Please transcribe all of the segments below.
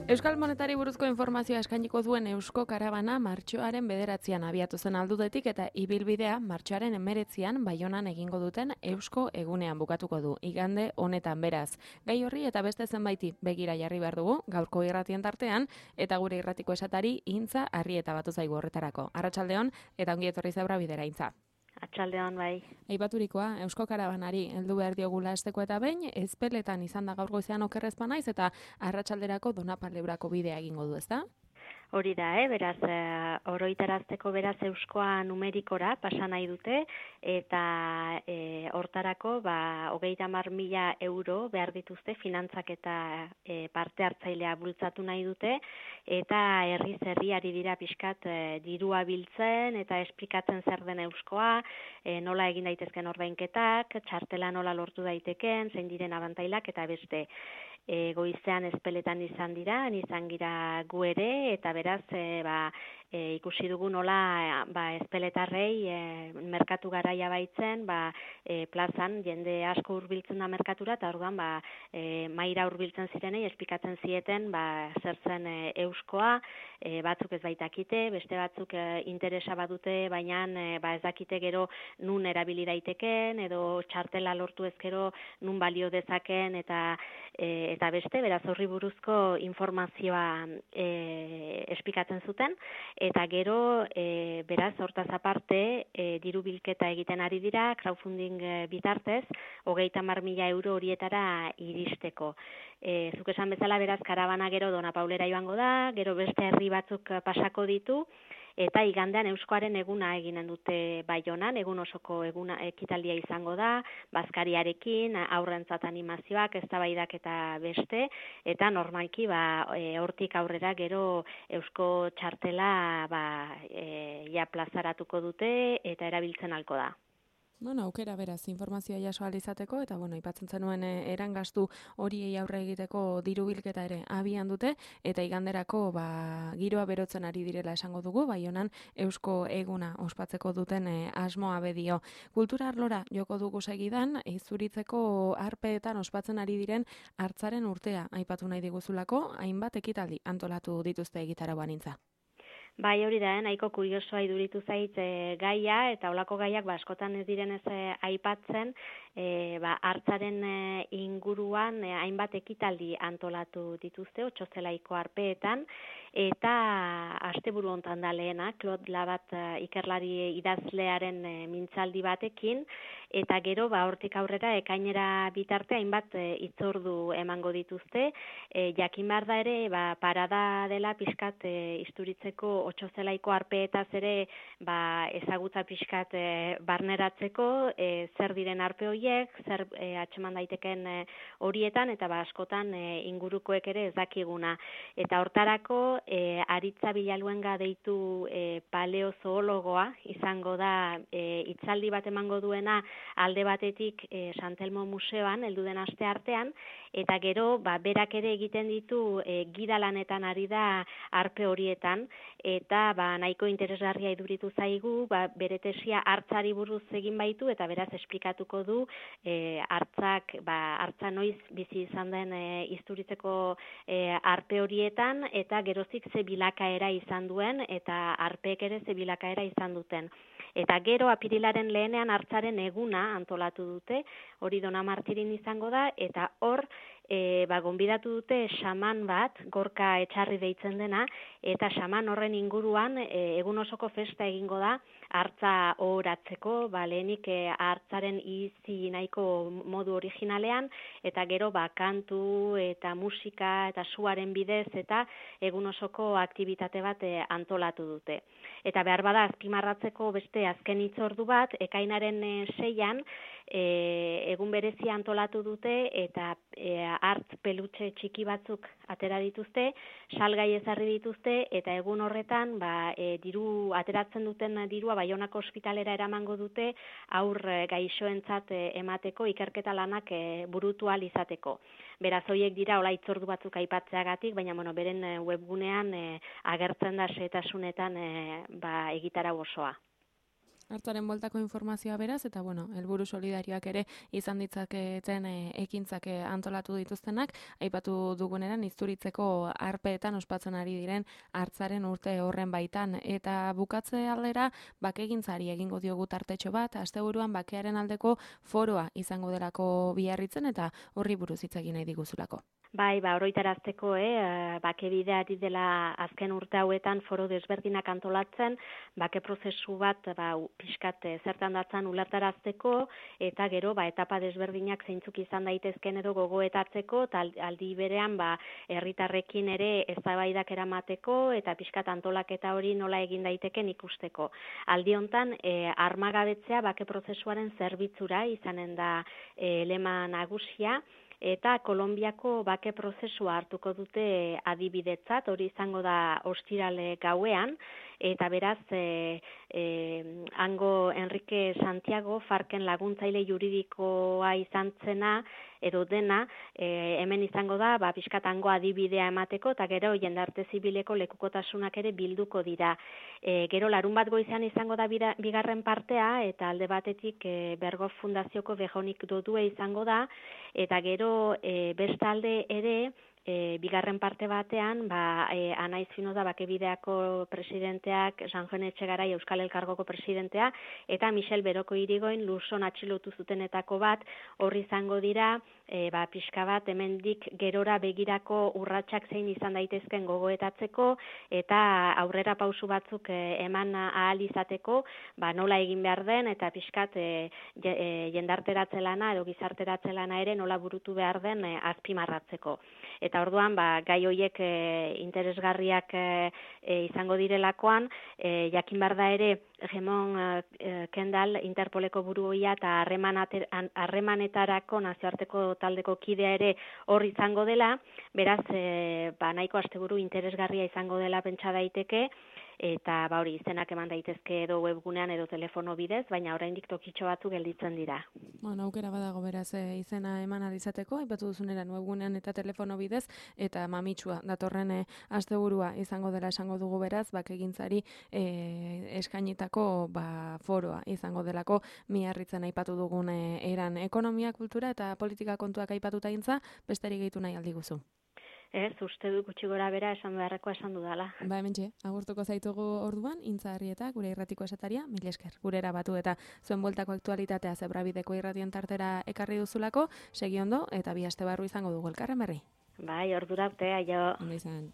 Euskal Monetari buruzko informazioa eskainiko duen Eusko Karabana martxoaren 9an abiatu zen aldudetik eta ibilbidea martxoaren 19an Baionan egingo duten Eusko Egunean bukatuko du. Igande honetan beraz. Gai horri eta beste zenbaiti begira jarri behar dugu, gaurko irratien tartean, eta gure irratiko esatari Intza Arrieta batu zaigu horretarako. Arratsaldeon eta ongi etorri Zebra Bidera, Intza. Atxaldeon, bai. Aipaturikoa, Eusko Karabanari heldu behar diogula esteko eta behin, ezpeletan izan da gaur goizean okerrezpa naiz eta arratsalderako Donapaldeurako bidea egingo du, ezta? Hori da, beraz, oroitarazteko beraz euskoa numerikora pasa nahi dute, eta hortarako 30.000 euro behar dituzte finantzak eta parte hartzailea bultzatu nahi dute, eta herriz herriari dira pixkat dirua biltzen eta esplikatzen zer den euskoa, nola egin daitezken ordainketak, txartela nola lortu daiteken, zein diren abantailak eta beste. Goizean ezpeletan izan gira gu ere, eta beraz ikusi dugu nola ezpeletarrei merkatu garaia baitzen, plazan jende asko hurbiltzen da merkatura, eta orduan maira hurbiltzen zirenei esplikatzen zieten zer zen euskoa, batzuk ez baitakite, beste batzuk interesa badute, baina ez dakite gero nun erabili daiteken, edo txartela lortu ezkero nun balio dezaken, eta beste, beraz horri buruzko informazioa esplikatzen zuten, eta gero, beraz, hortaz aparte, diru bilketa egiten ari dira, crowdfunding bitartez, 30.000 euro horietara iristeko. Zuk esan bezala, beraz, karabana gero Donapaulera joango da, gero beste herri batzuk pasako ditu, eta igandean euskoaren eguna eginen dute Baionan, egun osoko eguna ekitaldia izango da, bazkariarekin, aurrentzat animazioak, eztabaidak eta beste, eta normalki hortik aurrera gero eusko txartela plazaratuko dute eta erabiltzen halko da. Aukera beraz, informazioa jaso ahal izateko, eta aipatzen zenuen erangastu horiei aurre egiteko diru bilketa ere abian dute, eta iganderako giroa berotzen ari direla esango dugu, Baionan Eusko Eguna ospatzeko duten asmoa bedio. Kultura arlora joko dugu segidan, izuritzeko arpeetan ospatzen ari diren hartzaren urtea aipatu nahi diguzulako, hainbat ekitaldi antolatu dituzte egitarauan, Intza. Bai, hori da, nahiko kuriosoa iduritu zait gaia, eta olako gaiak askotan ez direnez aipatzen, hartzaren inguruan hainbat ekitaldi antolatu dituzte, Otzozelaiko arpeetan, eta asteburu hontan da lehena, Claude Labat ikerlari idazlearen mintzaldi batekin, eta gero hortik aurrera ekainera bitarte hainbat hitzordu emango dituzte, jakin behar da ere parada dela pixkat Isturitzeko Otzozelaiko arpeetaz ere ezagutza pixkat barneratzeko, zer diren arpe horiek, zer atxeman daiteken horietan, eta askotan ingurukoek ere ez dakiguna. Eta hortarako Aritza Bilaluenga deitu paleozoologoa izango da hitzaldi bat emango duena alde batetik Santelmo Museoan heldu den aste artean, eta gero berak ere egiten ditu gidalanetan ari da arpe horietan, eta nahiko interesgarria iduritu zaigu, bere tesia hartzari buruz egin baitu, eta beraz esplikatuko du hartza noiz bizi izan den Isturitzeko arpe horietan, eta gerozik ze bilakaera izan duen, eta arpeek ere ze bilakaera izan duten. Eta gero apirilaren lehenean hartzaren eguna antolatu dute, hori Donamartirin izango da, eta hor gonbidatu dute xaman bat, Gorka Etxarri deitzen dena, eta xaman horren inguruan egun osoko festa egingo da, hartza ohoratzeko, lehenik hartzaren izi nahiko modu originalean, eta gero kantu eta musika eta suaren bidez eta egun osoko aktibitate bat antolatu dute. Eta behar bada azpimarratzeko beste azken hitzordu bat, ekainaren 6an, egun berezia antolatu dute, eta hartz pelutxe txiki batzuk atera dituzte, salgai ezarri dituzte, eta egun horretan diru ateratzen duten dirua Baionako ospitalera eramango dute aur gaixoentzat emateko ikerketa lanak burutu ahal izateko. Beraz, horiek dira hola hitzordu batzuk aipatzeagatik, baina beren webgunean agertzen da xehetasunetan egitarau osoa. Hartzaren bueltako informazioa beraz, eta helburu solidarioak ere izan ditzaketen ekintzak antolatu dituztenak, aipatu duguneran Izturitzeko arpeetan ospatzen ari diren hartzaren urte horren baitan, eta bukatze aldera bakegintzari egingo diogu tartetxo bat, asteburuan bakearen aldeko foroa izango delako Biarritzen, eta horri buruz hitz egin nahi diguzulako. Bai, oroitarazteko, bakebidea ari dela azken urte hauetan foro desberdinak antolatzen, bake prozesu bat pixkat zertan datzan ulertarazteko, eta gero etapa desberdinak zeintzuk izan daitezken edo gogoetatzeko, eta aldi berean herritarrekin ere eztabaidak eramateko, eta pixkat antolaketa hori nola egin daiteken ikusteko. Aldi hontan, armagabetzea bake prozesuaren zerbitzura izanen da lema nagusia, eta Kolonbiako bake prozesua hartuko dute adibidetzat, hori izango da ostirale gauean, eta beraz, hango Enrique Santiago, Farken laguntzaile juridikoa izan zena, edo dena, hemen izango da, pixkat hango adibidea emateko, eta gero jendarte zibileko lekukotasunak ere bilduko dira. Gero larun bat goizean izango da bigarren partea, eta alde batetik Bergoz Fundazioko Bejonik Dodue izango da, eta gero bestalde ere, bigarren parte batean, Anaiz Finoda Bakebideako presidenteak, Sanjon Etxegarai Euskal Elkargoko presidentea, eta Michel Beroko Irigoin Luzon atxilotu zutenetako bat, horri izango dira, pixka bat hemendik gerora begirako urratsak zein izan daitezken gogoetatzeko, eta aurrera pausu batzuk eman ahal izateko, nola egin behar den, eta pixkat jendarteratze lana edo gizarteratze lana ere nola burutu behar den azpimarratzeko. Eta orduan, gai horiek interesgarriak izango direlakoan, jakin behar da ere, Gemon Kendall, Interpoleko buruia eta harremanetarako nazioarteko taldeko kidea ere hor izango dela, beraz, nahiko asteburu interesgarria izango dela pentsa daiteke, eta hori izenak eman daitezke edo webgunean edo telefono bidez, baina oraindik tokitxo batzuk gelditzen dira. Aukera badago beraz izena eman alizateko, aipatu duzuneran webgunean eta telefono bidez, eta mamitsua datorren asteburua izango dela esango dugu beraz, bakegintzari eskainitako foroa izango delako Biarritzen aipatu dugun eran ekonomia, kultura eta politika kontuak aipatuta gintza, besterik gehitu nahi aldiguzu. Uste du gutxi gora bera esan beharrekoa esan dudala. Hementxe, agurtuko zaitugu orduan, Intza Arrieta, gure irratiko esataria, mila esker, gurera batu eta zuen bueltako aktualitatea Zebrabideko irratien tartera ekarri duzulako, segi ondo eta bi aste barru izango dugu elkarren berri. Bai, ordura arte, aio. Ondo izan.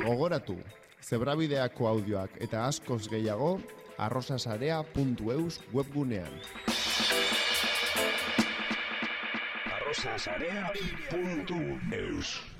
Gogoratu, Zebrabideako audioak eta askoz gehiago arrosasarea.eus webgunean. arrosasarea.eus